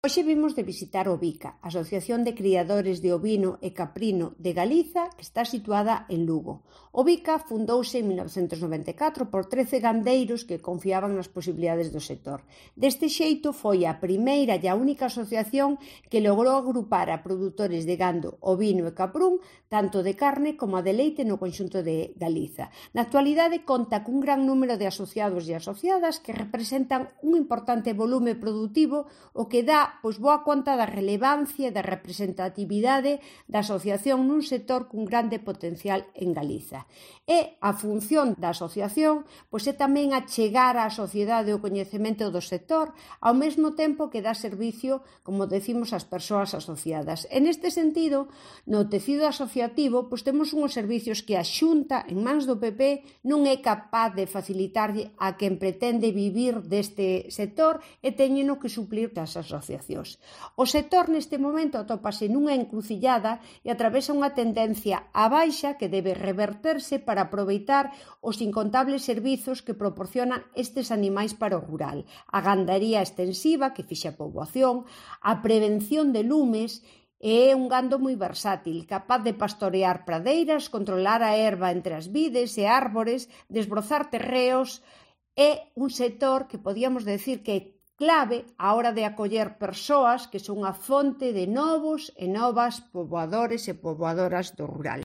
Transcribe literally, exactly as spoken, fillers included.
Hoxe vimos de visitar o Bica, Asociación de Criadores de Ovino e Caprino de Galiza, que está situada en Lugo. O Bica fundouse en mil novecentos noventa e catro por trece gandeiros que confiaban nas posibilidades do sector. Deste xeito foi a primeira e a única asociación que logrou agrupar a produtores de gando, ovino e caprún, tanto de carne como de leite no conxunto de Galiza. Na actualidade conta cun gran número de asociados e asociadas que representan un importante volume produtivo, o que dá pois boa conta da relevancia e da representatividade da asociación nun sector cun grande potencial en Galiza. E a función da asociación pois é tamén achegar á sociedade o coñecemento do sector, ao mesmo tempo que dá servicio, como decimos, ás persoas asociadas. En este sentido, no tecido asociativo, pois temos unhos servicios que a Xunta, en mans do P P, non é capaz de facilitarlle a quen pretende vivir deste sector e teñeno que suplir das asociacións. O sector neste momento atópase nunha encrucillada e atravesa unha tendencia á baixa que debe reverterse para aproveitar os incontables servizos que proporcionan estes animais para o rural, a gandaría extensiva que fixa a poboación, a prevención de lumes. É un gando moi versátil, capaz de pastorear pradeiras, controlar a herba entre as vides e árbores, desbrozar terreos. É un sector que podíamos decir que é clave á hora de acoller persoas que son a fonte de novos e novas poboadores e poboadoras do rural.